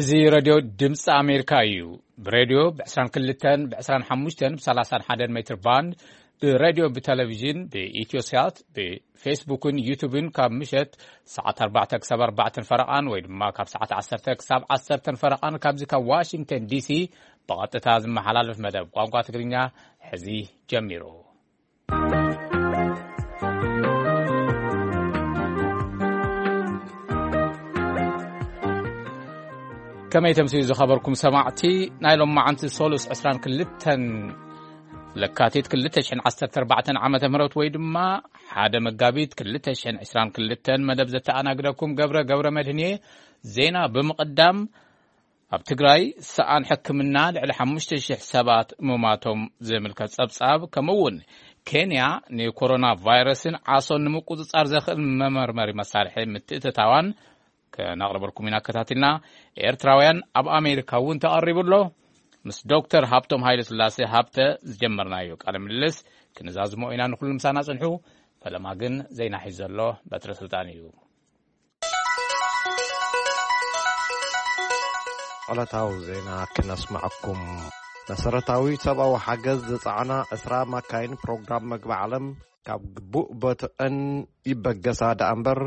እዚ ሬድዮ ድምፂ ኣሜሪካ እዩ። ብሬድዮ ብ22፣ ብ25፣ ብ31 ሜትር ባንድ፣ ብሬድዮ ብቴሌቪዥን፣ ብኢትዮሳት፣ ብፌስቡክን ዩቱብን ካብ ምሸት ሰዓት ኣርባዕተ ክሳብ ኣርባዕተን ፈረቓን ወይ ድማ ካብ ሰዓት ዓሰርተ ክሳብ ዓሰርተን ፈረቓን ካብዚ ካብ ዋሽንግተን ዲሲ ብቐጥታ ዝመሓላለፍ መደብ ቋንቋ ትግርኛ ሕዚ ጀሚሩ። ከመይ ተምስዩ ዝኸበርኩም ሰማዕቲ፣ ናይ ሎማዓንቲ ሶሉስ ዕስራን ክልተን ለካቲት ክልተ ሽሕን ዓሰርተ ኣርባዕተን ዓመተ ምህረት ወይ ድማ ሓደ መጋቢት ክልተ ሽሕን ዕስራን ክልተን መደብ ዘተኣናግደኩም ገብረ ገብረ መድህን እየ። ዜና ብምቕዳም፣ ኣብ ትግራይ ሰኣን ሕክምና ልዕሊ ሓሙሽተ ሽሕ ሰባት ምማቶም ዝምልከት ጸብጻብ፣ ከምኡ እውን ኬንያ ንኮሮና ቫይረስን ዓሶን ንምቁጽጻር ዘኽእል መመርመሪ መሳርሒ ምትእትታዋን ከነቕርበልኩም ኢና ኣከታቲልና። ኤርትራውያን ኣብ ኣሜሪካ እውን ተቐሪቡ ኣሎ። ምስ ዶክተር ሃብቶም ሃይለ ስላሴ ሃብተ ዝጀመርናዮ ቃለ ምልልስ ክንዛዝሞ ኢና። ንኹሉ ምሳና ጽንሑ። ፈለማ ግን ዜና ሒዙ ዘሎ በትረ ስልጣን እዩ። ዕለታዊ ዜና ክነስምዐኩም። መሰረታዊ ሰብኣዊ ሓገዝ ዝጸዓና ዕስራ ማካይን ፕሮግራም መግቢ ዓለም ካብ ግቡእ ቦትአን ይበገሳ ደኣ እምበር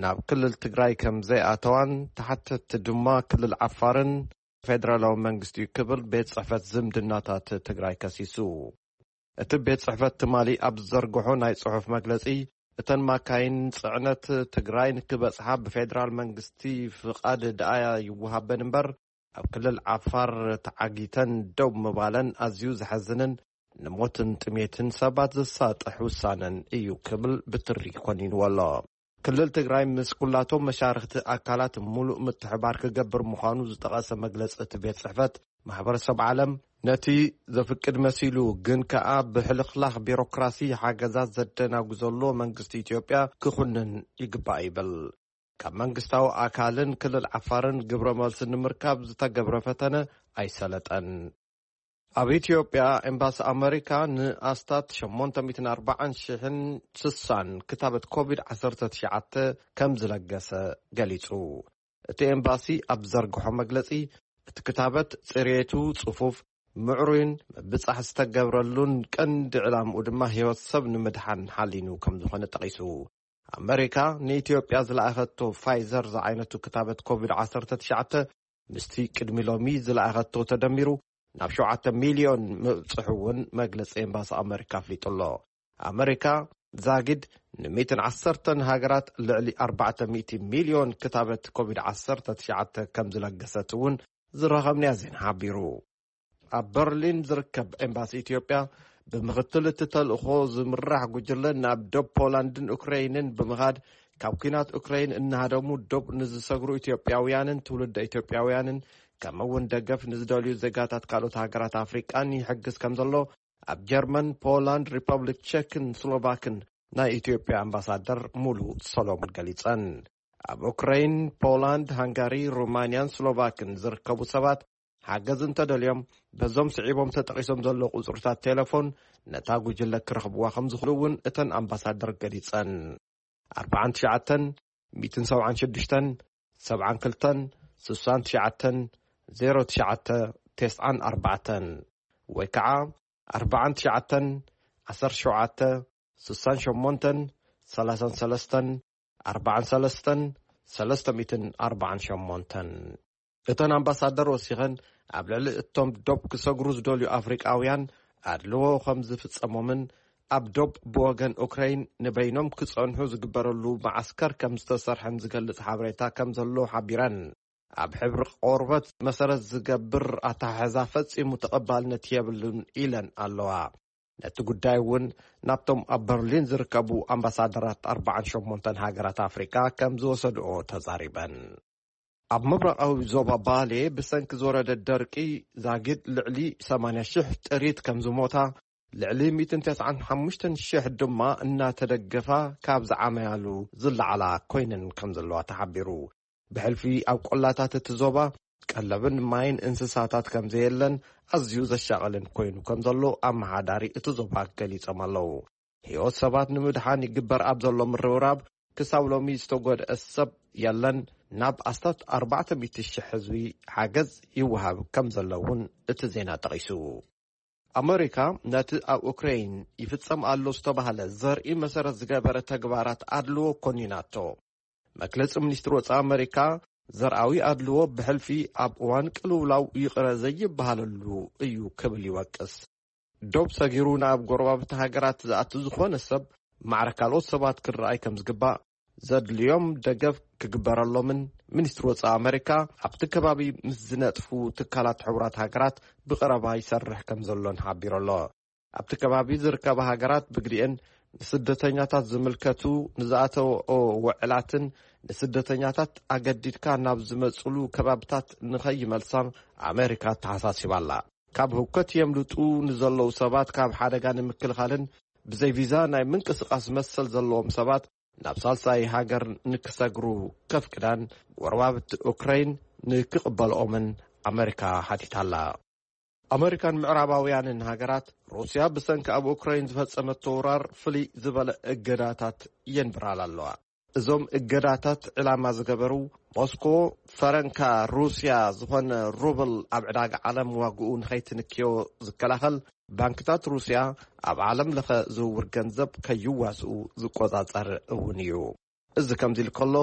ናብ ክልል ትግራይ ከም ዘይኣተዋን ተሓተትቲ ድማ ክልል ዓፋርን ፌደራላዊ መንግስቲ እዩ ክብል ቤት ጽሕፈት ዝምድናታት ትግራይ ከሲሱ። እቲ ቤት ጽሕፈት ትማሊ ኣብ ዝዘርግሖ ናይ ጽሑፍ መግለጺ፣ እተን ማካይን ጽዕነት ትግራይ ንክበጽሓ ብፌደራል መንግስቲ ፍቓድ ደኣ ይወሃበን እምበር፣ ኣብ ክልል ዓፋር ተዓጊተን ደው ምባለን ኣዝዩ ዘሐዝንን ንሞትን ጥሜትን ሰባት ዘሳጥሕ ውሳነን እዩ ክብል ብትሪ ኮኒንዎ ኣሎ። ክልል ትግራይ ምስ ኩላቶም መሻርኽቲ ኣካላት ሙሉእ ምትሕባር ክገብር ምዃኑ ዝጠቐሰ መግለጺ እቲ ቤት ጽሕፈት፣ ማሕበረሰብ ዓለም ነቲ ዘፍቅድ መሲሉ ግን ከኣ ብሕልኽላኽ ቢሮክራሲ ሓገዛት ዘደናጉ ዘሎ መንግስቲ ኢትዮጵያ ክኹንን ይግባእ ይብል። ካብ መንግስታዊ ኣካልን ክልል ዓፋርን ግብረ መልሲ ንምርካብ ዝተገብረ ፈተነ ኣይሰለጠን። ኣብ ኢትዮጵያ ኤምባሲ ኣመሪካ ንኣስታት ሸሞንተ ሚእትን ኣርባዓን ሽሕን ስሳን ክታበት ኮቪድ ዓሰርተ ትሽዓተ ከም ዝለገሰ ገሊጹ። እቲ ኤምባሲ ኣብ ዝዘርግሖ መግለጺ፣ እቲ ክታበት ጽሬቱ ጽፉፍ፣ ምዕሩይን ምብጻሕ ዝተገብረሉን ቀንዲ ዕላምኡ ድማ ህይወት ሰብ ንምድሓን ሓሊኑ ከም ዝኾነ ጠቒሱ። ኣመሪካ ንኢትዮጵያ ዝለኣኸቶ ፋይዘር ዝዓይነቱ ክታበት ኮቪድ ዓሰርተ ትሽዓተ ምስቲ ቅድሚ ሎሚ ዝለኣኸቶ ተደሚሩ ናብ ሸውዓተ ሚልዮን ምብጽሑ እውን መግለጺ ኤምባሲ ኣመሪካ ኣፍሊጡ ኣሎ። ኣመሪካ ዛጊድ ንሚእትን ዓሰርተን ሃገራት ልዕሊ ኣርባዕተ ሚእቲ ሚልዮን ክታበት ኮቪድ ዓሰርተ ትሽዓተ ከም ዝለገሰት እውን ዝረኸብናዮ ዜና ሓቢሩ። ኣብ በርሊን ዝርከብ ኤምባሲ ኢትዮጵያ ብምኽትል እቲ ተልእኾ ዝምራሕ ጉጅለ ናብ ዶብ ፖላንድን ኡክረይንን ብምኻድ ካብ ኲናት ኡክረይን እናሃደሙ ዶብ ንዝሰግሩ ኢትዮጵያውያንን ትውልደ ኢትዮጵያውያንን ከምኡ እውን ደገፍ ንዝደልዩ ዜጋታት ካልኦት ሃገራት ኣፍሪቃን ይሕግዝ ከም ዘሎ ኣብ ጀርመን፣ ፖላንድ፣ ሪፐብሊክ ቸክን ስሎቫክን ናይ ኢትዮጵያ ኣምባሳደር ሙሉ ሰሎሞን ገሊጸን። ኣብ ኡክረይን፣ ፖላንድ፣ ሃንጋሪ፣ ሩማንያን ስሎቫክን ዝርከቡ ሰባት ሓገዝ እንተደልዮም በዞም ስዒቦም ተጠቒሶም ዘለዉ ቁጽርታት ቴሌፎን ነታ ጉጅለ ክረኽብዋ ከም ዝኽእሉ እውን እተን ኣምባሳደር ገሊጸን። ኣርባዓን ትሽዓተን፣ ሚእትን ሰብዓን ሽዱሽተን፣ ሰብዓን ክልተን፣ ስሳን ትሽዓተን፣ ዜሮ ትሽዓተ፣ ተስዓን ኣርባዕተን ወይ ከዓ ኣርባዓን ትሽዓተን፣ ዓሰርተ ሸውዓተ፣ ስሳን ሸሞንተን፣ ሰላሳን ሰለስተን፣ ኣርባዓን ሰለስተን፣ ሰለስተ ሚእትን ኣርባዓን ሸሞንተን። እተን ኣምባሳደር ወሲኸን፣ ኣብ ልዕሊ እቶም ዶብ ክሰግሩ ዝደልዩ ኣፍሪቃውያን ኣድልዎ ከም ዝፍጸሞምን ኣብ ዶብ ብወገን ኡክረይን ንበይኖም ክጸንሑ ዝግበረሉ መዓስከር ከም ዝተሰርሐን ዝገልጽ ሓበሬታ ከም ዘሎ ሓቢረን፣ ኣብ ሕብሪ ቆርበት መሰረት ዝገብር ኣተሓሕዛ ፈጺሙ ተቐባልነት የብሉን ኢለን ኣለዋ። ነቲ ጉዳይ እውን ናብቶም ኣብ በርሊን ዝርከቡ ኣምባሳደራት ኣርባዓን ሸሞንተን ሃገራት ኣፍሪቃ ከም ዝወሰድኦ ተዛሪበን። ኣብ ምብራቓዊ ዞባ ባሌ ብሰንኪ ዝወረደ ደርቂ ዛጊድ ልዕሊ ሰማንያ ሽሕ ጥሪት ከም ዝሞታ፣ ልዕሊ ሚእትን ተስዓን ሓሙሽተን ሽሕ ድማ እናተደገፋ ካብ ዝዓመያሉ ዝለዓላ ኮይነን ከም ዘለዋ ተሓቢሩ። ብሕልፊ ኣብ ቆላታት እቲ ዞባ ቀለብን ማይን እንስሳታት ከም ዘየለን ኣዝዩ ዘሻቐልን ኮይኑ ከም ዘሎ ኣመሓዳሪ እቲ ዞባ ገሊጾም ኣለዉ። ህይወት ሰባት ንምድሓን ይግበር ኣብ ዘሎ ምርብራብ ክሳብ ሎሚ ዝተጎድአ ሰብ የለን። ናብ ኣስታት ኣርባዕተ ሚእቲ ሽሕ ህዝቢ ሓገዝ ይወሃብ ከም ዘሎ እውን እቲ ዜና ጠቒሱ። ኣመሪካ ነቲ ኣብ ኡክሬን ይፍጸም ኣሎ ዝተባህለ ዘርኢ መሰረት ዝገበረ ተግባራት ኣድልዎ ኮኒናቶ። መግለጺ ሚኒስትሪ ወጻኢ ኣመሪካ፣ ዘርኣዊ ኣድልዎ ብሕልፊ ኣብ እዋን ቅልውላው ይቕረ ዘይበሃለሉ እዩ ክብል ይወቅስ። ዶብ ሰጊሩ ናብ ጎረባብቲ ሃገራት ዝኣቱ ዝኾነ ሰብ ማዕረ ካልኦት ሰባት ክረኣይ ከም ዝግባእ፣ ዘድልዮም ደገፍ ክግበረሎምን ሚኒስትሪ ወጻኢ ኣመሪካ ኣብቲ ከባቢ ምስ ዝነጥፉ ትካላት ሕቡራት ሃገራት ብቐረባ ይሰርሕ ከም ዘሎን ሓቢሩ ኣሎ። ኣብቲ ከባቢ ዝርከባ ሃገራት ብግዲኤን ንስደተኛታት ዝምልከቱ ንዝኣተወኦ ውዕላትን ንስደተኛታት ኣገዲድካ ናብ ዝመጽሉ ከባብታት ንኸይመልሳ ኣመሪካ ኣተሓሳሲባ ኣላ። ካብ ህውከት የምልጡ ንዘለዉ ሰባት ካብ ሓደጋ ንምክልኻልን ብዘይ ቪዛ ናይ ምንቅስቓስ መሰል ዘለዎም ሰባት ናብ ሳልሳይ ሃገር ንክሰግሩ ከፍቅዳን ጎረባብቲ ኡክራይን ንክቕበልኦምን ኣመሪካ ሓቲታላ። ኣመሪካን ምዕራባውያንን ሃገራት፣ ሩስያ ብሰንኪ ኣብ ኡክራይን ዝፈጸመቶ ወራር ፍልይ ዝበለ እገዳታት የንብራላ ኣለዋ። እዞም እገዳታት ዕላማ ዝገበሩ፣ ሞስኮ ፈረንካ ሩስያ ዝኾነ ሩብል ኣብ ዕዳጋ ዓለም ዋግኡ ንኸይትንክዮ ዝከላኸል፣ ባንክታት ሩስያ ኣብ ዓለም ለኸ ዝውውር ገንዘብ ከይዋስኡ ዝቆጻጸር እውን እዩ። እዚ ከምዚ ኢሉ ከሎ፣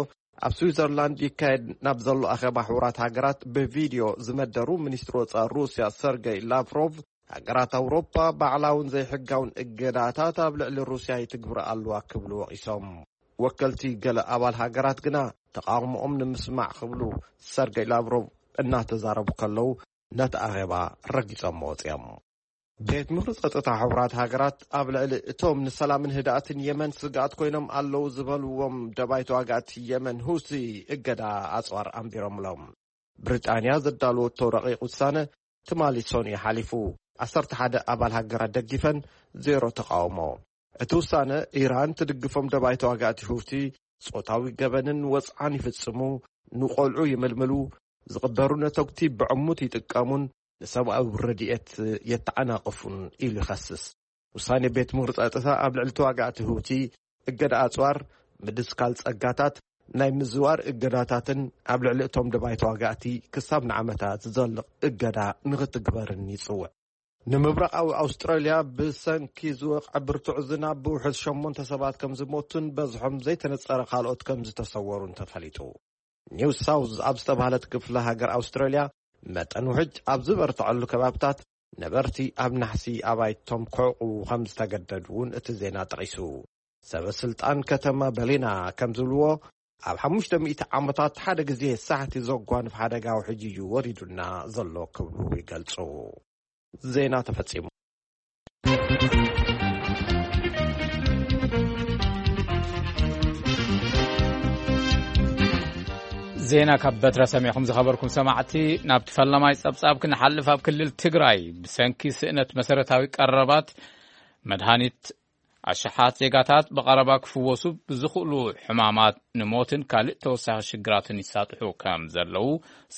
ኣብ ስዊዘርላንድ ይካየድ ናብ ዘሎ ኣኼባ ሕቡራት ሃገራት ብቪድዮ ዝመደሩ ሚኒስትሪ ወጻኢ ሩስያ ሰርገይ ላቭሮቭ፣ ሃገራት ኣውሮፓ ባዕላውን ዘይሕጋውን እገዳታት ኣብ ልዕሊ ሩስያ ይትግብራ ኣለዋ ክብሉ ወቒሶም። ወከልቲ ገለ ኣባል ሃገራት ግና ተቓውሞኦም ንምስማዕ ክብሉ ሰርገይ ላቭሮቭ እናተዛረቡ ከለዉ ነቲ ኣኼባ ረጊጾም ወጺኦም። ቤት ምኽሪ ጸጥታ ሕቡራት ሃገራት ኣብ ልዕሊ እቶም ንሰላምን ህድኣትን የመን ስግኣት ኮይኖም ኣለዉ ዝበልዎም ደባይ ተዋጋእቲ የመን ሁቲ እገዳ ኣጽዋር ኣንቢሮምሎም። ብሪጣንያ ዘዳለወቶ ረቂቕ ውሳነ ትማሊ ሰኑይ ሓሊፉ፣ ዓሰርተ ሓደ ኣባል ሃገራት ደጊፈን፣ ዜሮ ተቓውሞ። እቲ ውሳነ፣ ኢራን ትድግፎም ደባይ ተዋጋእቲ ሁቲ ጾታዊ ገበንን ወጽዓን ይፍጽሙ፣ ንቖልዑ ይምልምሉ፣ ዝቕበሩ ነተጉቲ ብዕሙት ይጥቀሙን ንሰብኣዊ ረድኤት የተዓናቕፉን ኢሉ ይኸስስ። ውሳኔ ቤት ምኽሪ ጸጥታ ኣብ ልዕሊ ተዋጋእቲ ሁቲ እገዳ ኣጽዋር፣ ምድስካል ጸጋታት፣ ናይ ምዝዋር እገዳታትን ኣብ ልዕሊ እቶም ደባይ ተዋጋእቲ ክሳብ ንዓመታት ዝዘልቕ እገዳ ንኽትግበርን ይጽውዕ። ንምብራቓዊ ኣውስትራልያ ብሰንኪ ዝወቕዐ ብርቱዕ ዝናብ ብውሕድ ሸሞንተ ሰባት ከም ዝሞቱን በዝሖም ዘይተነጸረ ካልኦት ከም ዝተሰወሩን ተፈሊጡ። ኒው ሳውዝ ኣብ ዝተባህለት ክፍለ ሃገር ኣውስትራልያ መጠን ውሕጅ ኣብ ዝበርትዐሉ ከባብታት ነበርቲ ኣብ ናሕሲ ኣባይቶም ክዕቑቡ ከም ዝተገደዱ እውን እቲ ዜና ጠቒሱ። ሰበ ስልጣን ከተማ በሊና ከም ዝብልዎ፣ ኣብ ሓሙሽተ ሚእቲ ዓመታት ሓደ ግዜ ሳሕቲ ዘጓንፍ ሓደጋ ውሕጅ እዩ ወሪዱና ዘሎ ክብሉ ይገልጹ። ዜና ተፈጺሙ። ዜና ካብ በትረ ሰሚዕኹም ዝኸበርኩም ሰማዕቲ። ናብቲ ፈለማይ ጸብጻብ ክንሓልፍ፣ ኣብ ክልል ትግራይ ብሰንኪ ስእነት መሰረታዊ ቀረባት መድሃኒት ኣሽሓት ዜጋታት ብቐረባ ክፍወሱ ብዝኽእሉ ሕማማት ንሞትን ካልእ ተወሳኺ ሽግራትን ይሳጥሑ ከም ዘለዉ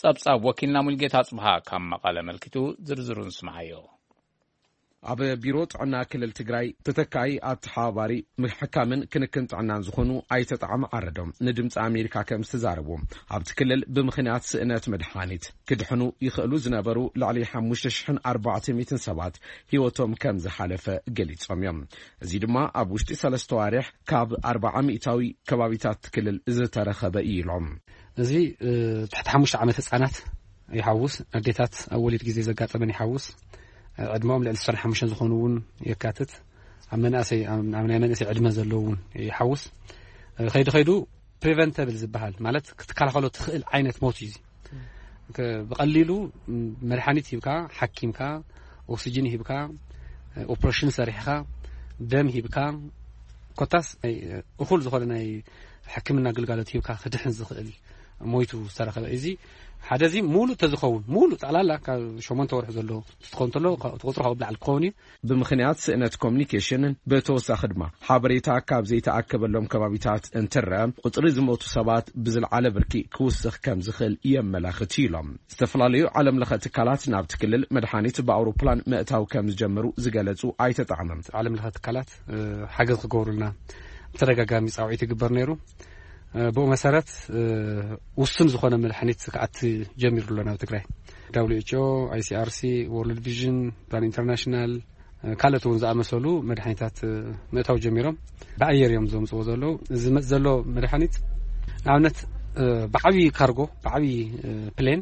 ጸብጻብ ወኪልና ሙልጌታ ጽብሃ ካብ መቐለ መልኪቱ ዝርዝሩ ንስምዓዮ። ኣብ ቢሮ ጥዕና ክልል ትግራይ ተተካኢ ኣተሓባባሪ ምሕካምን ክንክን ጥዕናን ዝኾኑ ኣይተ ጣዕመ ዓረዶም ንድምፂ ኣሜሪካ ከም ዝተዛረቡ፣ ኣብቲ ክልል ብምኽንያት ስእነት መድሓኒት ክድሕኑ ይኽእሉ ዝነበሩ ልዕሊ ሓሙሽተ ሽሕን ኣርባዕተ ሚእትን ሰባት ህይወቶም ከም ዝሓለፈ ገሊጾም እዮም። እዚ ድማ ኣብ ውሽጢ ሰለስተ ዋርሕ ካብ ኣርብዓ ሚእታዊ ከባቢታት ክልል ዝተረኸበ እዩ ኢሎም። እዚ፣ እ፣ ትሕቲ ሓሙሽተ ዓመት ህጻናት ይሓውስ፣ ኣዴታት ኣብ ወሊድ ግዜ ዘጋጠመን ይሓውስ፣ እ፣ ዕድመኦም ልዕሊ ዕስራን ሓሙሽተን ዝኾኑ እውን የካትት። ኣብ መናእሰይ፣ ኣብ፣ ኣብ ናይ መንእሰይ ዕድመ ዘለዉ እውን ይሓውስ። እ፣ ከይዱ ከይዱ ፕሪቨንተብል ዝበሃል፣ ማለት ክትከላኸሎ ትኽእል ዓይነት ሞት እዩ እዚ። ከ-፣ ብቐሊሉ፣ ም፣ መድሓኒት ሂብካ፣ ሓኪምካ፣ ኦክሲጅን ሂብካ፣ እ፣ ኦፕሬሽን ሰሪሕኻ፣ ደም ሂብካ፣ ኮታስ ናይ፣ እ፣ እኹል ዝኾነ ናይ ሕክምና ግልጋሎት ሂብካ ክድሕን ዝኽእል ሞይቱ ዝተረኸበ። እዚ ሓደ፣ እዚ ሙሉእ ተዝኸውን፣ ሙሉእ ጠቕላላ ካብ ሸሞንተ ወርሒ ዘሎ ትኾን እንተሎ፣ እቲ ቁፅሪ ካብኡ ብላዕሊ ክኸውን እዩ። ብምኽንያት ስእነት ኮሚኒኬሽንን ብተወሳኺ ድማ ሓበሬታ ካብ ዘይተኣከበሎም ከባቢታት እንትረአ፣ ቁፅሪ ዝሞቱ ሰባት ብዝለዓለ ብርኪ ክውስኽ ከም ዝኽእል የመላኽት እዩ ኢሎም። ዝተፈላለዩ ዓለም ለኸ ትካላት ናብቲ ክልል መድሓኒት ብኣውሮፕላን ምእታው ከም ዝጀመሩ ዝገለጹ ኣይተ ጣዕመ፣ ዓለም ለኸ ትካላት፣ እ፣ ሓገዝ ክገብሩልና ብተደጋጋሚ ጻውዒት ይግበር ነይሩ። ብኡ መሰረት ውሱን ዝኾነ መድሓኒት ክኣቲ ጀሚሩ ኣሎ ናብ ትግራይ። ደብሊው ኤች ኦ፣ ኣይ ሲ ኣር ሲ፣ ወርልድ ቪዥን፣ ፕላን ኢንተርናሽናል፣ ካልኦት እውን ዝኣመሰሉ መድሓኒታት ምእታው ጀሚሮም። ብኣየር እዮም ዘምፅዎ ዘለዉ። እዚ ዝመፅ ዘሎ መድሓኒት ንኣብነት ብዓብዪ ካርጎ፣ ብዓብዪ ፕሌን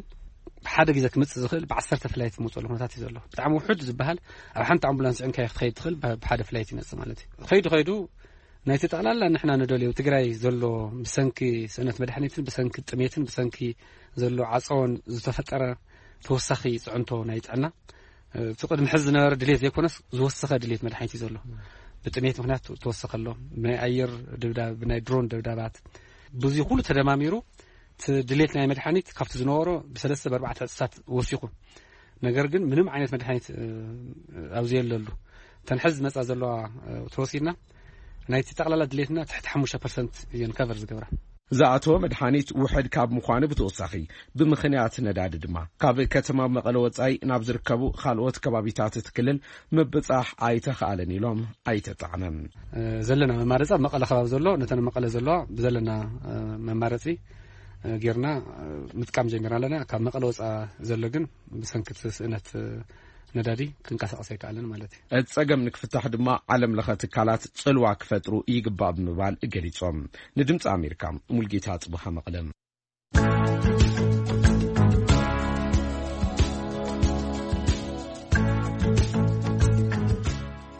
ብሓደ ግዜ ክመፅእ ዝኽእል ብዓሰርተ ፍላይት ዝመፅሉ ኩነታት እዩ ዘሎ። ብጣዕሚ ውሑድ ዝበሃል ኣብ ሓንቲ ኣምቡላንስ ዕንካይ ክትኸይድ ትኽእል ብሓደ ፍላይት ይመፅእ ማለት እዩ። ከይዱ ከይዱ ናይቲ ጠቕላላ ንሕና ንደልዮ ትግራይ ዘሎ ብሰንኪ ስእነት መድሓኒትን ብሰንኪ ጥሜትን ብሰንኪ ዘሎ ዓፀዎን ዝተፈጠረ ተወሳኺ ፅዕንቶ ናይ ጥዕና፣ እቲ ቅድሚ ሕዚ ዝነበረ ድሌት ዘይኮነስ ዝወሰኸ ድሌት መድሓኒት እዩ ዘሎ። ብጥሜት ምክንያት ተወሰኸ ኣሎ። ብናይ ኣየር ድብዳብ፣ ብናይ ድሮን ደብዳባት፣ ብዙ ኩሉ ተደማሚሩ እቲ ድሌት ናይ መድሓኒት ካብቲ ዝነበሮ ብሰለስተ ብኣርባዕተ ዕፅታት ወሲኹ። ነገር ግን ምንም ዓይነት መድሓኒት ኣብዚ የለሉ። እተን ሕዚ ዝመፃ ዘለዋ ተወሲድና ናይቲ ጠቕላላ ድሌትና ትሕቲ ሓሙሽተ ፐርሰንት እየን ከቨር ዝገብራ። ዝኣተወ መድሓኒት ውሕድ ካብ ምዃኑ ብተወሳኺ፣ ብምኽንያት ነዳዲ ድማ ካብ ከተማ መቐለ ወፃኢ ናብ ዝርከቡ ካልኦት ከባቢታት እቲ ክልል ምብፃሕ ኣይተኽኣለን ኢሎም ኣይተጣዕመን። ዘለና መማረፂ ኣብ መቐለ ከባቢ ዘሎ፣ ነተን መቐለ ዘለዋ ብዘለና መማረፂ ጌርና ምጥቃም ጀሚርና ኣለና። ካብ መቐለ ወፃ ዘሎ ግን ብሰንኪ እቲ ስእነት ነዳዲ ክንቀሳቐስ ኣይከኣለን ማለት እዩ። እቲ ፀገም ንክፍታሕ ድማ ዓለም ለኸ ትካላት ፅልዋ ክፈጥሩ ይግባእ ብምባል ገሊፆም። ንድምፂ ኣሜሪካ፣ ሙልጌታ ፅቡሃ መቐለ።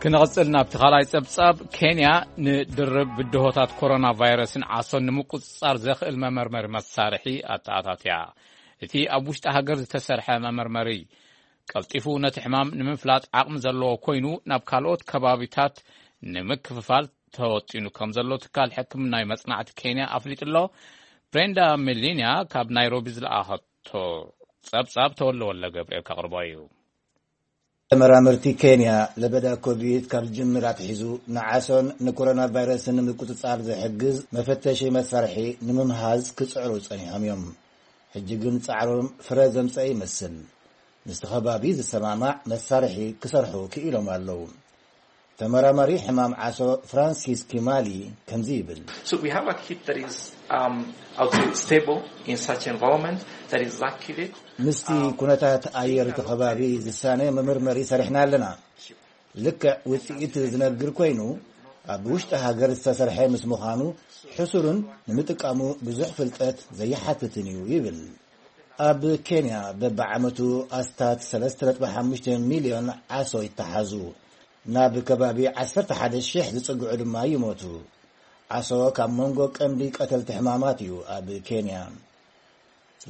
ክንቕፅል ናብቲ ካልኣይ ፀብፃብ። ኬንያ ንድርብ ብድሆታት ኮሮና ቫይረስን ዓሶን ንምቁፅፃር ዘኽእል መመርመሪ መሳርሒ ኣተኣታትያ። እቲ ኣብ ውሽጢ ሃገር ዝተሰርሐ መመርመሪ ቀልጢፉ ነቲ ሕማም ንምፍላጥ ዓቕሚ ዘለዎ ኮይኑ ናብ ካልኦት ከባቢታት ንምክፍፋል ተወጢኑ ከም ዘሎ ትካል ሕክምናዊ መጽናዕቲ ኬንያ ኣፍሊጡ ኣሎ። ብሬንዳ ሜሊንያ ካብ ናይሮቢ ዝለኣኸቶ ጸብጻብ ተወለ ወለ ገብርኤል ከቕርቦ እዩ። ተመራመርቲ ኬንያ ለበዳ ኮቪድ ካብ ዝጅምር ኣትሒዙ ንዓሶን ንኮሮና ቫይረስን ንምቁጽጻር ዝሕግዝ መፈተሺ መሳርሒ ንምምሃዝ ክጽዕሩ ጸኒሖም እዮም። ሕጂ ግን ጻዕሮም ፍረ ዘምጸ ይመስል። ምስቲ ከባቢ ዝሰማማዕ መሳርሒ ክሰርሑ ክኢሎም ኣለዉ። ተመራማሪ ሕማም ዓሶ ፍራንሲስ ኪማሊ ከምዚ ይብል። So we have a kit that is, um, I would say, stable in such environment that is accurate. ምስቲ ኩነታት ኣየር እቲ ከባቢ ዝሳነ መመርመሪ ሰሪሕና ኣለና። ልክዕ ውፅኢት ዝነግር ኮይኑ፣ ኣብ ውሽጢ ሃገር ዝተሰርሐ ምስ ምዃኑ ሕሱርን ንምጥቃሙ ብዙሕ ፍልጠት ዘይሓትትን እዩ ይብል። ኣብ ኬንያ በብዓመቱ ኣስታት ሰለስተ ነጥቢ ሓሙሽተ ሚልዮን ዓሶ ይተሓዙ። ናብ ከባቢ ዓሰርተ ሓደ ሺሕ ዝጽግዑ ድማ ይሞቱ። ዓሶ ካብ መንጎ ቀንዲ ቀተልቲ ሕማማት እዩ ኣብ ኬንያ።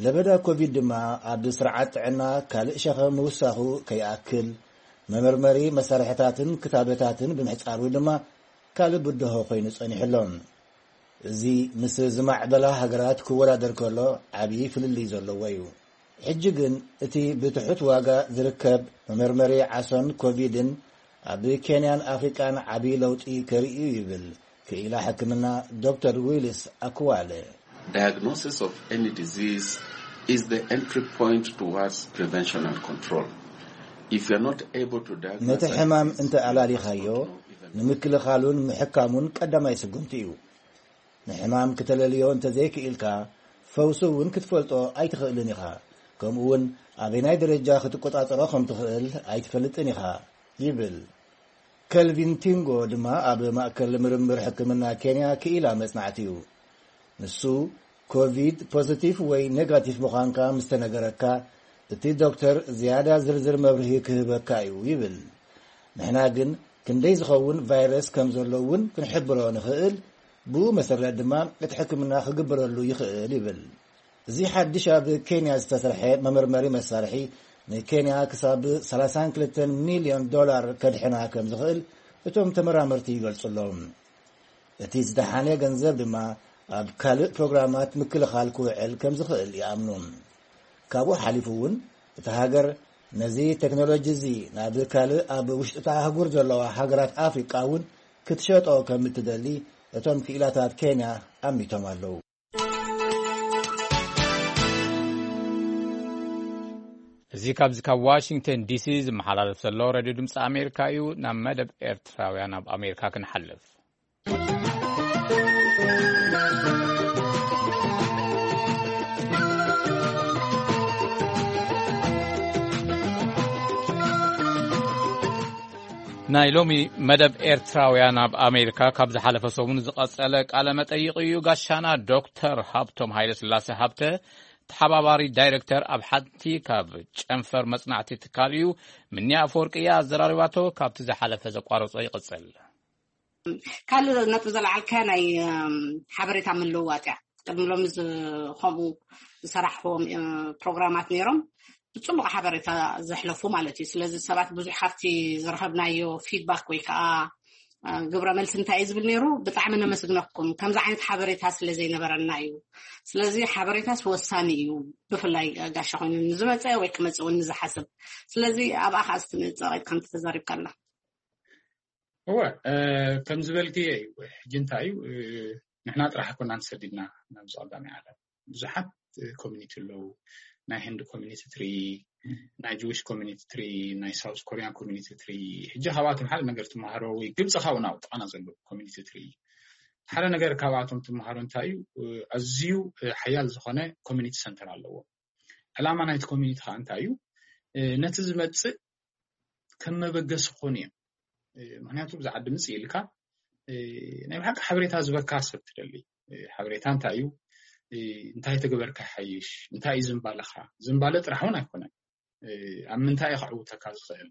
ለበዳ ኮቪድ ድማ ኣብ ስርዓት ጥዕና ካልእ ሸኸም ምውሳኹ ከይኣክል፣ መመርመሪ መሳርሕታትን ክታበታትን ብምሕጻሩ ድማ ካልእ ብድሆ ኮይኑ ጸኒሑ ኣሎ። እዚ ምስ ዝማዕበላ ሃገራት ክወዳደር ከሎ ዓብዪ ፍልልይ ዘለዎ እዩ። ሕጂ ግን እቲ ብትሑት ዋጋ ዝርከብ መመርመሪ ዓሶን ኮቪድን ኣብ ኬንያን ኣፍሪቃን ዓብዪ ለውጢ ከርኢ እዩ ይብል ክኢላ ሕክምና ዶክተር ዊልስ ኣክዋለ። Diagnosis of any disease is the entry point towards prevention and control. If you're not able to diagnose ነቲ ሕማም እንተ ኣላሊኻዮ፣ ንምክልኻሉን ምሕካሙን ቀዳማይ ስጉምቲ እዩ። ንሕማም ክተለልዮ እንተ ዘይክኢልካ፣ ፈውሱ እውን ክትፈልጦ ኣይትኽእልን ኢኻ። ከምኡ እውን ኣበናይ ደረጃ ክትቆጻጸሮ ከም ትኽእል ኣይትፈልጥን ኢኻ ይብል። ከልቪን ቲንጎ ድማ ኣብ ማእከል ምርምር ሕክምና ኬንያ ክኢላ መጽናዕቲ እዩ። ንሱ ኮቪድ ፖዚቲቭ ወይ ኔጋቲቭ ምዃንካ ምስ ተነገረካ፣ እቲ ዶክተር ዝያዳ ዝርዝር መብርሂ ክህበካ እዩ ይብል። ንሕና ግን ክንደይ ዝኸውን ቫይረስ ከም ዘሎ እውን ክንሕብሮ ንኽእል፣ ብኡ መሰረት ድማ እቲ ሕክምና ክግበረሉ ይኽእል ይብል። እዚ ሓድሽ ኣብ ኬንያ ዝተሰርሐ መመርመሪ መሳርሒ ንኬንያ ክሳብ ሰላሳን ክልተን ሚልዮን ዶላር ከድሕና ከም ዝኽእል እቶም ተመራመርቲ ይገልጹ ኣለዉ። እቲ ዝደሓነ ገንዘብ ድማ ኣብ ካልእ ፕሮግራማት ምክልኻል ክውዕል ከም ዝኽእል ይኣምኑ። ካብኡ ሓሊፉ እውን እታ ሃገር ነዚ ቴክኖሎጂ እዚ ናብ ካልእ ኣብ ውሽጢ እታ ኣህጉር ዘለዋ ሃገራት ኣፍሪቃ እውን ክትሸጦ ከም እትደሊ እቶም ክኢላታት ኬንያ ኣሚቶም ኣለዉ። እዚ ካብዚ ካብ ዋሽንግተን ዲሲ ዝመሓላለፍ ዘሎ ሬድዮ ድምፂ ኣሜሪካ እዩ። ናብ መደብ ኤርትራውያን ኣብ ኣሜሪካ ክንሓልፍ። ናይ ሎሚ መደብ ኤርትራውያን ኣብ ኣሜሪካ ካብ ዝሓለፈ ሰሙን ዝቐጸለ ቃለ መጠይቕ እዩ። ጋሻና ዶክተር ሃብቶም ሃይለ ስላሴ ሃብተ፣ ተሓባባሪ ዳይሬክተር ኣብ ሓንቲ ካብ ጨንፈር መጽናዕቲ ትካል እዩ። ምንያ ኣፈወርቂ እያ ኣዘራሪባቶ። ካብቲ ዝሓለፈ ዘቋረጾ ይቕጽል። ካልእ ነጥብ ዘለዓልካ ናይ ሓበሬታ ምልውዋጥ እያ። ቅድሚ ሎሚ ከምኡ ዝሰራሕዎም ፕሮግራማት ነይሮም፣ ብፅቡቅ ሓበሬታ ዘሕለፉ ማለት እዩ። ስለዚ ሰባት ብዙሕ ካብቲ ዝረኸብናዮ ፊድባክ ወይ ከዓ ግብረ መልሲ እንታይ እዩ ዝብል ነይሩ? ብጣዕሚ ነመስግነኩም፣ ከምዚ ዓይነት ሓበሬታ ስለ ዘይነበረና እዩ። ስለዚ ሓበሬታስ ወሳኒ እዩ፣ ብፍላይ ጋሻ ኮይኑ ንዝመፀ ወይ ክመፅእ እውን ንዝሓስብ። ስለዚ ኣብኣ ከዓ እስቲ ንፀቂጥ ከምቲ ተዛሪብካና። እወ፣ ከም ዝበልክዮ እዩ። ሕጂ እንታይ እዩ፣ ንሕና ጥራሕ ኮና ንሰዲድና ናብዚ ቀዳማይ ዓለም። ብዙሓት ኮሚኒቲ ኣለዉ። ናይ ህንድ ኮሚኒቲ ትርኢ፣ ናይ ጅዊሽ ኮሚኒቲ ትርኢ፣ ናይ ሳውስ ኮሪያን ኮሚኒቲ ትርኢ። ሕጂ ካብኣቶም ሓደ ነገር ትመሃሮ፣ ወይ ግብፂ ካብኡ ናብ ጥቓና ዘሎ ኮሚኒቲ ትርኢ። ሓደ ነገር ካብኣቶም ትመሃሮ እንታይ እዩ፣ ኣዝዩ ሓያል ዝኾነ ኮሚኒቲ ሰንተር ኣለዎ። ዕላማ ናይቲ ኮሚኒቲ ከዓ እንታይ እዩ፣ ነቲ ዝመፅእ ከም መበገሲ ክኾኑ እዮም። ምክንያቱ ብዛ ዓዲ ምፅእ ኢልካ ናይ ብሓቂ ሓበሬታ ዝበካ ሰብ ትደሊ። ሓበሬታ እንታይ እዩ፣ እንታይ ተገበርካ ይሓይሽ፣ እንታይ እዩ ዝምባለኻ። ዝምባለ ጥራሕ እውን ኣይኮነን፣ ኣብ ምንታይ እዩ ከዕውተካ ዝኽእል።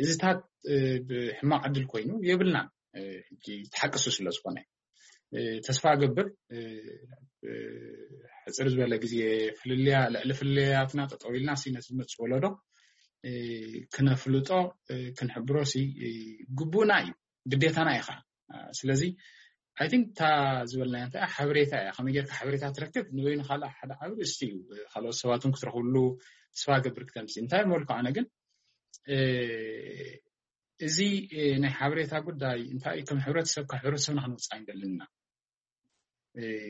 እዚታት ብሕማቕ ዕድል ኮይኑ የብልናን። ሕጂ ተሓቅሱ ስለ ዝኾነ ተስፋ ገብር ሕፅር ዝበለ ግዜ ፍልልያ ልዕሊ ፍልልያትና ጠጠው ኢልና ሲ ነቲ ዝመፅእ ወለዶ ክነፍልጦ ክንሕብሮ ሲ ግቡእና እዩ፣ ግዴታና እዩ ከዓ። ስለዚ ኣይ ቲንክ እታ ዝበልናያ እንታይ ሓበሬታ እያ። ከመይ ጌርካ ሓበሬታ ትረክብ ንበይኑ ካልእ ሓደ ዓብሪ እስቲ እዩ። ካልኦት ሰባት እውን ክትረኽብሉ ተስፋ ገብር ክተምሲ እንታይ መልኩ ኣነ ግን እዚ ናይ ሓበሬታ ጉዳይ እንታይ ከም ሕብረተሰብ ካብ ሕብረተሰብና ክንወፅእ ኣይንደልን ኢና።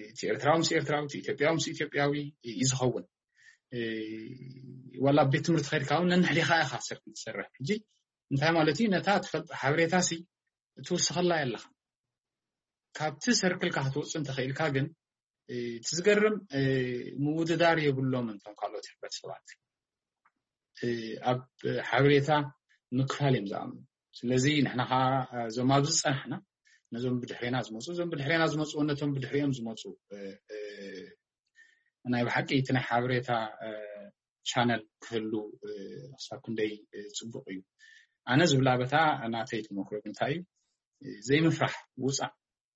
እቲ ኤርትራዊ ምስ ኤርትራዊ፣ እቲ ኢትዮጵያዊ ምስ ኢትዮጵያዊ እዩ ዝኸውን። ዋላ ኣብ ቤት ትምህርቲ ከድካ እውን ነንሕሊኻ ኢኻ ሰርክል ትሰርሕ። ሕጂ እንታይ ማለት እዩ? ነታ ትፈልጥ ሓበሬታ ሲ ትውስኸላ የለኻ። ካብቲ ሰርክልካ ክትወፅእ እንተኽኢልካ ግን እቲ ዝገርም ምውድዳር የብሎም እንቶም ካልኦት ሕብረተሰባት ኣብ ሓበሬታ ምክፋል እዮም ዝኣምኑ። ስለዚ ንሕና ከዓ እዞም ኣብዚ ዝፀናሕና ነዞም ብድሕሬና ዝመፁ፣ እዞም ብድሕሬና ዝመፁ ነቶም ብድሕሪኦም ዝመፁ ናይ ብሓቂ እቲ ናይ ሓበሬታ ቻነል ክህሉ ክሳብ ክንደይ ፅቡቅ እዩ። ኣነ ዝብላ በታ ናተይ ተመክሮ እንታይ እዩ፣ ዘይምፍራሕ ውፃእ።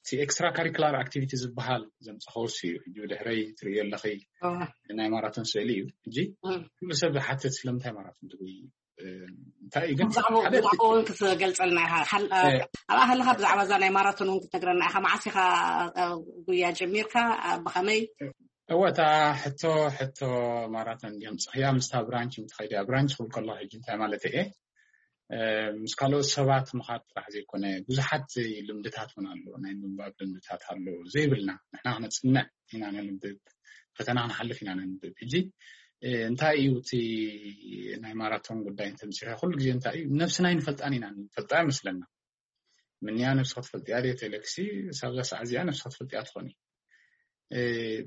እቲ ኤክስትራ ካሪኩላር ኣክቲቪቲ ዝበሃል ዘምፀኸውስ እዩ። ሕጂ ብድሕረይ ትርእዮ ኣለኺ ናይ ማራቶን ስእሊ እዩ። ሕጂ ኩሉ ሰብ ዝሓትት ስለምንታይ ማራቶን ትጉይ እንታይ እዩ ግን ብዛዕባኡ እውን ክትገልፀልና ኢኻ። ኣብኣ ከለካ ብዛዕባ እዛ ናይ ማራቶን እውን ክትነግረና ኢኻ። መዓስ ኢኻ ጉያ ጀሚርካ? ብኸመይ? እወ፣ እታ ሕቶ ሕቶ ማራቶን ድዮም ፅኽያ ምስታ ብራንች ምትኸይድያ። ብራንች ክብል ከለኹ ሕጂ እንታይ ማለት እየ፣ ምስ ካልኦት ሰባት ምኻድ ጥራሕ ዘይኮነ ብዙሓት ልምድታት እውን ኣሎ። ናይ ምንባብ ልምድታት ኣሎ ዘይብልና። ንሕና ክነፅንዕ ኢና ነንብብ፣ ፈተና ክንሓልፍ ኢና ነንብብ። ሕጂ እንታይ እዩ እቲ ናይ ማራቶን ጉዳይ እንተምፅርካ ኩሉ ግዜ እንታይ እዩ ነብስና ኣይንፈልጣን ኢና ንፈልጣ ይመስለና። ምንያ ነብስኻ ትፈልጥያ ድየ ተለክሲ ሳብዛ ሰዓት እዚኣ ነብስኻ ትፈልጥያ ትኾኒ።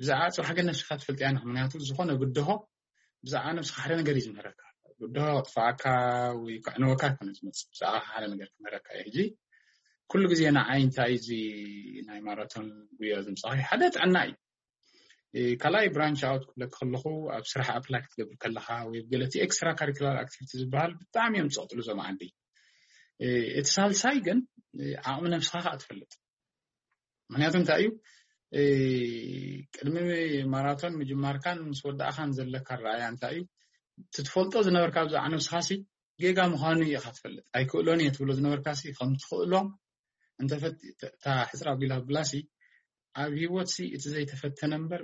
ብዛዕባ ፅባሕ ግን ነብስኻ ትፈልጥያ ንክ ምክንያቱ ዝኾነ ብድሆ ብዛዕባ ነብስኻ ሓደ ነገር እዩ ዝምህረካ። ብድሆ ክጥፋኣካ ወይ ከዕንወካ ይኮነ ዝመፅእ፣ ብዛዕባ ሓደ ነገር ክምህረካ እዩ። ሕጂ ኩሉ ግዜ ንዓይ እንታይ እዚ ናይ ማራቶን ጉያ ዝምፃኺ ሓደ ጥዕና እዩ። ካልኣይ ብራንች ኣውት ክብለክ ከለኹ ኣብ ስራሕ ኣፕላይ ክትገብር ከለካ ወይ ገለቲ ኤክስትራ ካሪኩላር ኣክቲቪቲ ዝበሃል ብጣዕሚ እዮም ዝፀቕጥሉ እዞም ዓዲ። እቲ ሳልሳይ ግን ዓቕሚ ነብስኻ ከዓ ትፈልጥ። ምክንያቱ እንታይ እዩ፣ ቅድሚ ማራቶን ምጅማርካን ምስ ወዳእኻን ዘለካ ረኣያ እንታይ እዩ፣ ትትፈልጦ ዝነበርካ ብዛዕባ ነብስኻሲ ጌጋ ምዃኑ ኢኻ ትፈልጥ። ኣይክእሎን እየ ትብሎ ዝነበርካሲ ከም ትኽእሎ እንተፈት እታ ሕፅር ኣቢላ ብላሲ ኣብ ሂወትሲ እቲ ዘይተፈተነ እምበር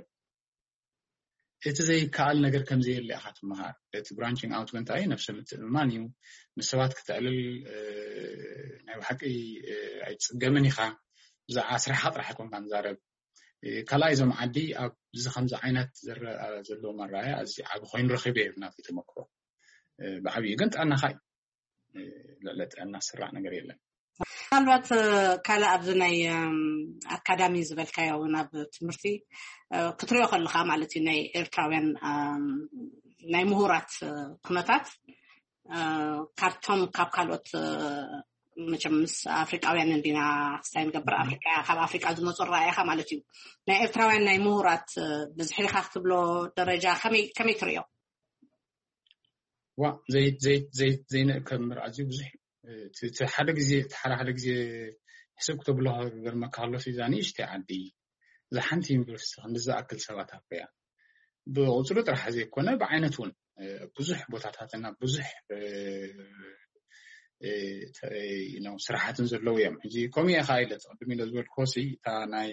እቲ ዘይከኣል ነገር ከም ዘየለ ኢኻ ትመሃር። እቲ ብራንቺንግ ኣውት እንታይ እዩ፣ ነብሰ ምትእምማን እዩ። ምስ ሰባት ክተዕልል ናይ ብሓቂ ኣይትፅገምን ኢኻ። ብዛዕባ ስራሕኻ ጥራሕ ኣይኮንካ ንዛረብ። ካልኣይ እዞም ዓዲ ኣብዚ ከምዚ ዓይነት ዝረኣ ዘለዎም ኣረኣያ ኣዚ ዓቢ ኮይኑ ረኺበ እዩ ናተይ ተመክሮ። ብዓብዩ ግን ጥዕናኻ እዩ። ልዕሊ ጥዕና ዝስራዕ ነገር የለን። ምናልባት ካልእ ኣብዚ ናይ ኣካዳሚ ዝበልካዮ እውን ኣብ ትምህርቲ ክትሪኦ ከለካ ማለት እዩ ናይ ኤርትራውያን ናይ ምሁራት ኩነታት ካብቶም ካብ ካልኦት መቸም ምስ ኣፍሪቃውያን እንዲና ክስታይ ንገብር፣ ኣፍሪቃ፣ ካብ ኣፍሪቃ ዝመፁ ኣረኣእያኻ ማለት እዩ። ናይ ኤርትራውያን ናይ ምሁራት ብዝሒ ዲኻ ክትብሎ ደረጃ ከመይ ከመይ ትርእዮ? ዋ ዘይንእከብ ምር ኣዝዩ ብዙሕ እዩ። እቲ ሓደ ግዜ እቲ ሓደ ሓደ ግዜ ሕስብ ክተብሎ ክገርመካ ከሎ እዛ ንእሽተይ ዓዲ እዛ ሓንቲ ዩኒቨርሲቲ ክንዲ ዝኣክል ሰባት ኣፍርያ፣ ብቁፅሪ ጥራሕ ዘይኮነ ብዓይነት እውን ብዙሕ ቦታታትና ብዙሕ ስራሓትን ዘለዉ እዮም። ሕጂ ከምኡ እየ ከዓ ኢለ ቅድም ኢለ ዝበልክዎ ሲ እታ ናይ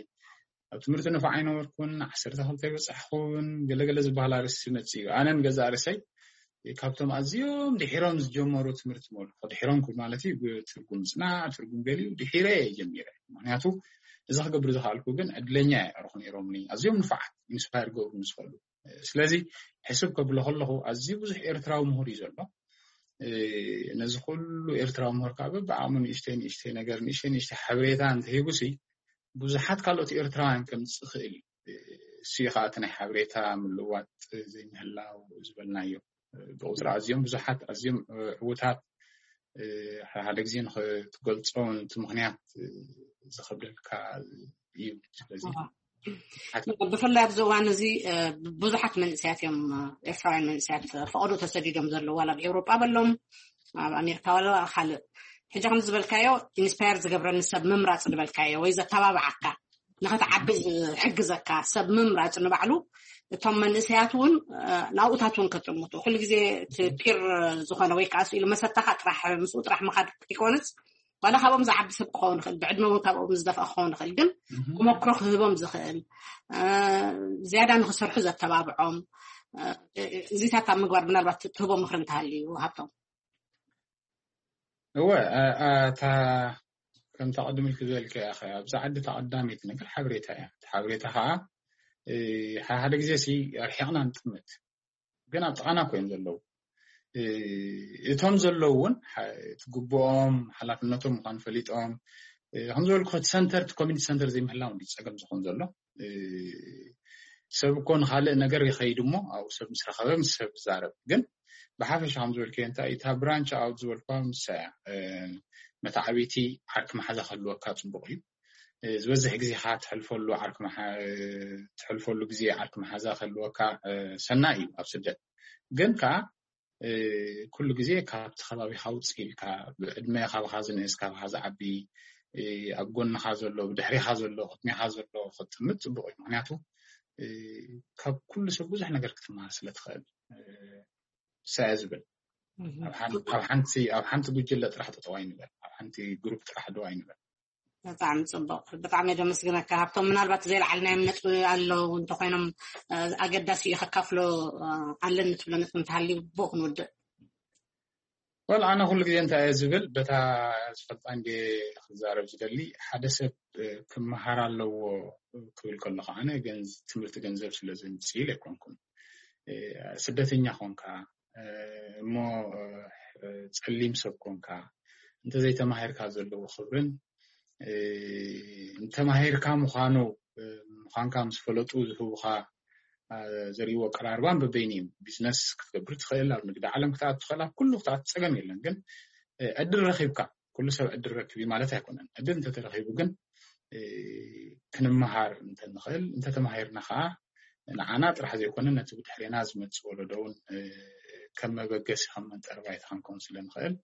ኣብ ትምህርቲ ንፉዕ ኣይነበርኩን፣ ዓሰርተ ክልተ ኣይበፃሕኩን፣ ገለገለ ዝበሃል ኣርእስቲ መፅእ እዩ። ኣነን ገዛ ርእሰይ ካብቶም ኣዝዮም ድሒሮም ዝጀመሩ ትምህርቲ መልኩ ድሒሮም ክብል ማለት እዩ፣ ብትርጉም ፅናዕ ትርጉም ገሊኡ ድሒረ እየ ጀሚረ። ምክንያቱ እዚ ክገብር ዝኽኣልኩ ግን ዕድለኛ እየ። ኣርኹ ነይሮምኒ ኣዝዮም ንፉዓት ኢንስፓየር ገብሩ ዝኽእሉ። ስለዚ ሕስብ ከብሎ ከለኹ ኣዝዩ ብዙሕ ኤርትራዊ ምሁር እዩ ዘሎ። ነዚ ኩሉ ኤርትራዊ ምሁር ከዓ በብዓቕሙ ንእሽተይ ንእሽተይ ነገር ንእሽተይ ንእሽተይ ሓበሬታ እንተሂቡሲ ብዙሓት ካልኦት ኤርትራውያን ከምፅእ ይኽእል እዩ። እሱ እዩ ከዓ እቲ ናይ ሓበሬታ ምልዋጥ ዘይምህላው ዝበልናዮ። ብቁፅሪ ኣዝዮም ብዙሓት ኣዝዮም ዕዉታት ሓደ ግዜ ንክትገልፆ እቲ ምክንያት ዝከብደልካ እዩ። ስለዚ ብፍላይ ኣብዚ እዋን እዚ ብዙሓት መንእሰያት እዮም፣ ኤርትራውያን መንእሰያት ፈቐዶ ተሰዲዶም ዘለዉ፣ ዋላ ኣብ ኤውሮጳ በሎም ኣብ ኣሜሪካ ዋላ ካልእ። ሕጂ ከም ዝበልካዮ ኢንስፓየር ዝገብረኒ ሰብ ምምራፅ ዝበልካዮ ወይ ዘተባብዓካ ንኸትዓቢ ዝሕግዘካ ሰብ ምምራፅ ንባዕሉ እቶም መንእሰያት እውን ናብኡታት እውን ከጥምቱ ኩሉ ግዜ እቲ ፒር ዝኾነ ወይ ከዓ ስኢሉ መሰታኻ ጥራሕ ምስኡ ጥራሕ ምኻድ ከይኮንስ ዋላ ካብኦም ዝዓቢ ሰብ ክኸውን ይኽእል፣ ብዕድመ እውን ካብኦም ዝደፍአ ክኸውን ይኽእል፣ ግን ተመክሮ ክህቦም ዝኽእል ዝያዳ ንክሰርሑ ዘተባብዖም እዚታት ኣብ ምግባር ምናልባት ትህቦ ምክሪ እንተሃልዩ ሃብቶም። እወ እታ ከምታ ቅድም ኢልክ ዝበልከ እያ፣ ኣብዛ ዓዲ እታ ቀዳመይቲ ነገር ሓበሬታ እያ። ሓበሬታ ከዓ ሓደ ሓደ ግዜ ሲ ኣርሒቕና ንጥምት፣ ግን ኣብ ጥቓና እኮ እዮም ዘለዉ። እቶም ዘለዉ እውን ትግብኦም ሓላፍነቶም ምኳኑ ፈሊጦም ከም ዝበልኩ እቲ ሰንተር እቲ ኮሚኒቲ ሰንተር ዘይምህላው እንዲ ፀገም ዝኸውን ዘሎ። ሰብ እኮ ንካልእ ነገር ይኸይድ እሞ ኣብኡ ሰብ ምስ ረኸበ ምስ ሰብ ይዛረብ። ግን ብሓፈሻ ከም ዝበልከዮ እንታይ እታ ብራንች ኣውት ዝበልኳ ምሳ እያ። መታዓቢቲ ዓርኪ መሓዛ ክህልወካ ፅቡቅ እዩ። ዝበዝሕ ግዜ ከዓ ትሕልፈሉ ዓርኪ መሓ- ትሕልፈሉ ግዜ ዓርኪ መሓዛ ክህልወካ ሰናይ እዩ ኣብ ስደት። ግን ከዓ ኩሉ ግዜ ካብቲ ከባቢካ ውፅእ ኢልካ ብዕድመ ካባካ ዝንእስ ካባካ ዝዓቢ ኣብ ጎንካ ዘሎ ብድሕሪካ ዘሎ ቅድሚካ ዘሎ ክትጥምት ፅቡቅ እዩ። ምክንያቱ ካብ ኩሉ ሰብ ብዙሕ ነገር ክትመሃር ስለትኽእል። ሰ ዝብል ኣብ ሓንቲ ጉጅለ ጥራሕ ጠጠው ኣይንበል፣ ኣብ ሓንቲ ግሩፕ ጥራሕ ደው ኣይንበል። ብጣዕሚ ፅቡቅ፣ ብጣዕሚ እየ ደመስግነካ ሃብቶም። ምናልባት ዘይለዓልናዮም ነጥቢ ኣለዉ እንተኮይኖም ኣገዳሲ እዩ ከካፍሎ ኣለኒ ትብሎ ነጥቢ እንተሃልዩ ብኡ ክንውድእ። ወል ኣነ ኩሉ ግዜ እንታይ እየ ዝብል በታ ዝፈልጣ እንደ ክዛረብ ዝደሊ ሓደ ሰብ ክመሃር ኣለዎ ክብል ከለኩ ኣነ ትምህርቲ ገንዘብ ስለ ዝምፅእ ኢለ ኣይኮንኩን። ስደተኛ ኮንካ እሞ ፀሊም ሰብ ኮንካ እንተዘይተማሂርካ ዘለዎ ክብርን እንተማሂርካ ምኳኑ ምኳንካ ምስ ፈለጡ ዝህቡካ ዘርእይዎ ኣቀራርባን በበይኑ እዩ። ቢዝነስ ክትገብር ትኽእል፣ ኣብ ንግዲ ዓለም ክትኣቱ ትኽእል፣ ኣብ ኩሉ ክትኣቱ ፀገም የለን። ግን ዕድል ረኪብካ ኩሉ ሰብ ዕድል ረክብ እዩ ማለት ኣይኮነን። ዕድል እንተተረኪቡ ግን ክንመሃር እንተንኽእል እንተተማሂርና ከዓ ንዓና ጥራሕ ዘይኮነ ነቲ ብድሕሬና ዝመፅእ ወለዶ እውን ከም መበገሲ ከም መንጠሪ ባይታ ክንከውን ስለ ንኽእል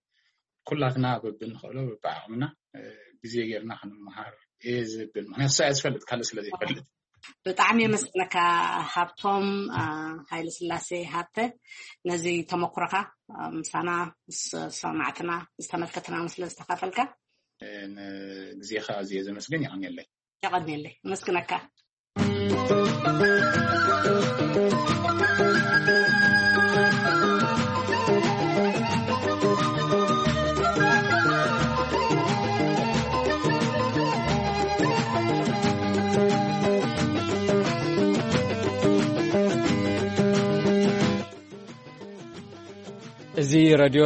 ኩላትና በብንኽእሎ በብዓቕምና ግዜ ጌርና ክንመሃር እየ ዝብል። ምክንያቱ ሰብኣይ ዝፈልጥ ካልእ ስለ ዘይፈልጥ። ብጣዕሚ የመስግነካ ሃብቶም ሃይለ ስላሴ ሃብተ ነዚ ተመክሮካ ምሳና ምስ ሰማዕትና ዝተመልከትና ስለ ዝተካፈልካ። ንግዜካ ኣዝየ ዘመስግን። የቐንየለይ። የቐንየለይ። የመስግነካ። እዚ ረድዮ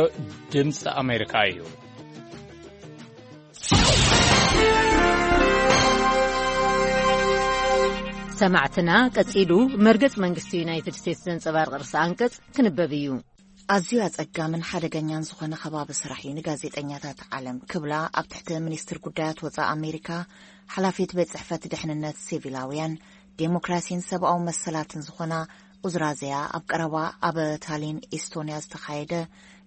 ድምፂ ኣሜሪካ እዩ። ሰማዕትና ቀጺሉ መርገጽ መንግስቲ ዩናይትድ ስቴትስ ዘንጸባርቕ ርእሰ ኣንቀጽ ክንበብ እዩ። ኣዝዩ ኣጸጋምን ሓደገኛን ዝኾነ ከባቢ ስራሕ እዩ ንጋዜጠኛታት ዓለም ክብላ ኣብ ትሕቲ ሚኒስትር ጉዳያት ወጻኢ ኣሜሪካ ሓላፊት ቤት ጽሕፈት ድሕንነት ሲቪላውያን፣ ዴሞክራሲን ሰብኣዊ መሰላትን ዝኾና ኡዝራዘያ ኣብ ቀረባ ኣብ ታሊን ኢስቶንያ ዝተኻየደ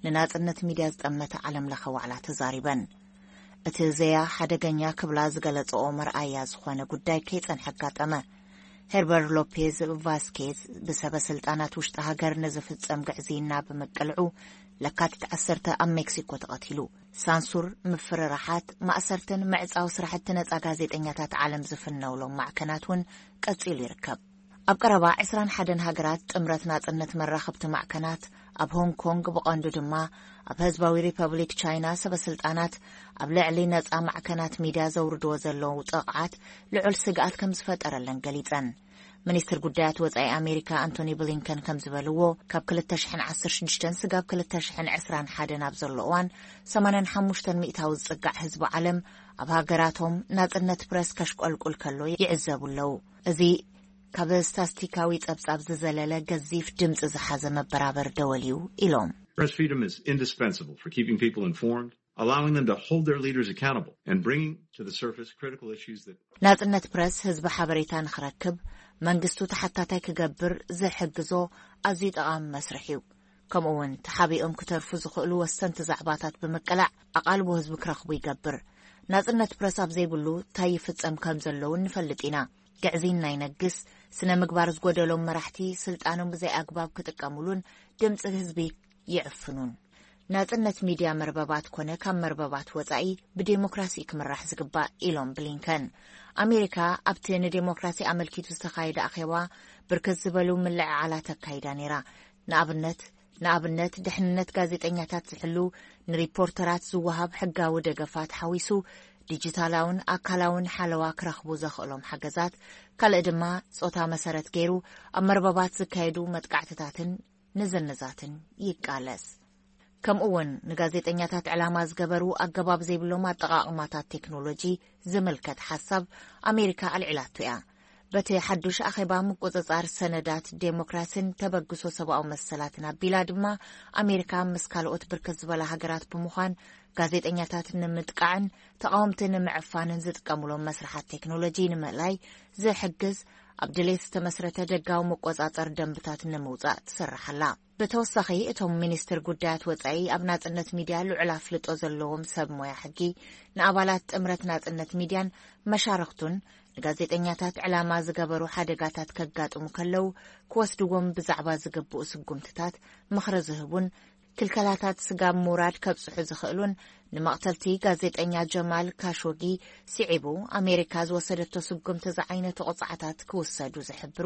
ንናጽነት ሚድያ ዝጠመተ ዓለም ለኸ ዋዕላ ተዛሪበን። እቲ ዘያ ሓደገኛ ክብላ ዝገለጸኦ መርኣያ ዝኾነ ጉዳይ ከይጸንሐ ኣጋጠመ። ሄርበር ሎፔዝ ቫስኬዝ ብሰበ ስልጣናት ውሽጢ ሃገር ንዝፍጸም ግዕዝይና ብምቅልዑ ለካቲት ዓሰርተ ኣብ ሜክሲኮ ተቐቲሉ። ሳንሱር፣ ምፍርራሓት፣ ማእሰርትን ምዕጻው ስራሕቲ ነጻ ጋዜጠኛታት ዓለም ዝፍነውሎም ማዕከናት እውን ቀጺሉ ይርከብ። ኣብ ቀረባ ዕስራን ሓደን ሃገራት ጥምረት ናጽነት መራኸብቲ ማዕከናት፣ ኣብ ሆንግ ኮንግ ብቐንዱ ድማ ኣብ ህዝባዊ ሪፐብሊክ ቻይና ሰበ ስልጣናት ኣብ ልዕሊ ነጻ ማዕከናት ሚድያ ዘውርድዎ ዘለዉ ጥቕዓት ልዑል ስግኣት ከም ዝፈጠረለን ገሊጸን። ሚኒስትር ጉዳያት ወጻኢ ኣሜሪካ ኣንቶኒ ብሊንከን ከም ዝበልዎ፣ ካብ ክልተ ሽሕን ዓሰርተ ሽዱሽተን ስጋብ ክልተ ሽሕን ዕስራን ሓደን ኣብ ዘሎ እዋን፣ ሰማንያን ሓሙሽተን ሚእታዊ ዝጽጋዕ ህዝቢ ዓለም ኣብ ሃገራቶም ናጽነት ፕረስ ከሽቆልቁል ከሎ ይዕዘቡ ኣለዉ። እዚ ካብ ስታስቲካዊ ጸብጻብ ዝዘለለ ገዚፍ ድምጺ ዝሓዘ መበራበር ደወል እዩ ኢሎም። Press freedom is indispensable for keeping people informed, allowing them to hold their leaders accountable, and bringing to the surface critical issues that ናጽነት ፕረስ ህዝቢ ሓበሬታ ንኽረክብ፣ መንግስቱ ተሓታታይ ክገብር ዝሕግዞ ኣዝዩ ጠቓሚ መስርሕ እዩ። ከምኡ እውን ተሓቢኦም ክተርፉ ዝኽእሉ ወሰንቲ ዛዕባታት ብምቅላዕ ኣቓልቦ ህዝቢ ክረኽቡ ይገብር። ናጽነት ፕረስ ኣብ ዘይብሉ እንታይ ይፍጸም ከም ዘለዉ ንፈልጥ ኢና። ግዕዝይና ይነግስ፣ ስነ ምግባር ዝጎደሎም መራሕቲ ስልጣኖም ብዘይ ኣግባብ ክጥቀሙሉን ድምጺ ህዝቢ ይዕፍኑን። ናጽነት ሚድያ መርበባት ኮነ ካብ መርበባት ወጻኢ ብዴሞክራሲ ክምራሕ ዝግባእ ኢሎም ብሊንከን። ኣሜሪካ ኣብቲ ንዴሞክራሲ ኣመልኪቱ ዝተኻየደ ኣኼባ ብርክት ዝበሉ ምልዕዓላት ኣካይዳ ነይራ። ንኣብነት ንኣብነት ድሕንነት ጋዜጠኛታት ዝሕሉ፣ ንሪፖርተራት ዝወሃብ ሕጋዊ ደገፋት ሓዊሱ፣ ዲጂታላውን ኣካላውን ሓለዋ ክረኽቡ ዘኽእሎም ሓገዛት፣ ካልእ ድማ ጾታ መሰረት ገይሩ ኣብ መርበባት ዝካየዱ መጥቃዕትታትን ንዝንዛትን ይቃለስ። ከምኡ እውን ንጋዜጠኛታት ዕላማ ዝገበሩ ኣገባብ ዘይብሎም ኣጠቓቕማታት ቴክኖሎጂ ዝምልከት ሓሳብ ኣሜሪካ ኣልዒላቶ እያ። በቲ ሓዱሽ ኣኼባ ምቁጽጻር ሰነዳት ዴሞክራሲን ተበግሶ ሰብኣዊ መሰላትን ኣቢላ ድማ ኣሜሪካ ምስ ካልኦት ብርክት ዝበላ ሃገራት ብምዃን ጋዜጠኛታት ንምጥቃዕን ተቓወምቲ ንምዕፋንን ዝጥቀሙሎም መስርሓት ቴክኖሎጂ ንምእላይ ዝሕግዝ ኣብ ድሌት ዝተመስረተ ደጋዊ መቆጻጸር ደንብታት ንምውጻእ ትሰርሕ ኣላ። ብተወሳኺ እቶም ሚኒስትር ጉዳያት ወጻኢ ኣብ ናጽነት ሚድያ ልዑል ኣፍልጦ ዘለዎም ሰብ ሞያ ሕጊ ንኣባላት ጥምረት ናጽነት ሚድያን መሻርኽቱን ንጋዜጠኛታት ዕላማ ዝገበሩ ሓደጋታት ከጋጥሙ ከለዉ ክወስድዎም ብዛዕባ ዝግብኡ ስጉምትታት ምኽሪ ዝህቡን ክልከላታት ስጋብ ምውራድ ከብጽሑ ዝኽእሉን ንመቕተልቲ ጋዜጠኛ ጀማል ካሾጊ ስዒቡ ኣሜሪካ ዝወሰደቶ ስጉምቲ ዝዓይነቱ ቅጽዓታት ክውሰዱ ዝሕብሩ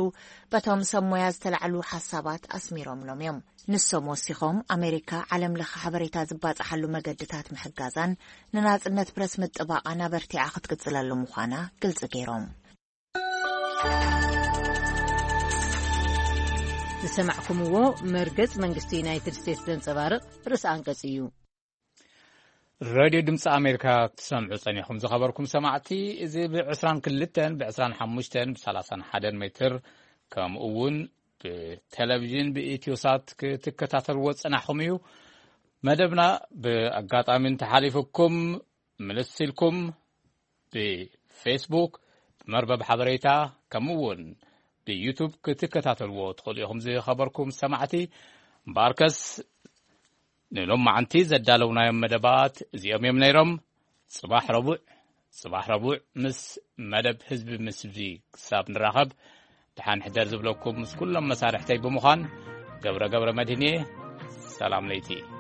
በቶም ሰብ ሞያ ዝተላዕሉ ሓሳባት ኣስሚሮምሎም እዮም። ንሶም ወሲኾም ኣሜሪካ ዓለም ለኸ ሓበሬታ ዝባጽሓሉ መገድታት ምሕጋዛን ንናጽነት ፕረስ ምጥባቓን ኣበርቲዓ ክትቅጽለሉ ምዃና ግልጺ ገይሮም። ዝሰማዕኩምዎ መርገጽ መንግስቲ ዩናይትድ ስቴትስ ዘንጸባርቕ ርእሲ ኣንቀጽ እዩ። ሬድዮ ድምፂ ኣሜሪካ ክትሰምዑ ጸኒኹም ዝኸበርኩም ሰማዕቲ፣ እዚ ብ22፣ ብ25፣ ብ31 ሜትር፣ ከምኡ እውን ብቴሌቪዥን ብኢትዮሳት ክትከታተልዎ ጸናሕኹም እዩ። መደብና ብኣጋጣሚ እንተሓሊፉኩም፣ ምልስ ኢልኩም ብፌስቡክ፣ ብመርበብ ሓበሬታ፣ ከምኡ እውን ብዩቱብ ክትከታተልዎ ትኽእሉ ኢኹም። ዝኸበርኩም ሰማዕቲ፣ እምበኣርከስ ንሎማዓንቲ ዘዳለውናዮም መደባት እዚኦም እዮም ነይሮም። ጽባሕ ረቡዕ፣ ጽባሕ ረቡዕ ምስ መደብ ህዝቢ ምስ ህዝቢ ክሳብ ንራኸብ፣ ደሓን ሕደር ዝብለኩም ምስ ኩሎም መሳርሕተይ ብምዃን፣ ገብረ ገብረ መድህን እየ። ሰላም ለይቲ።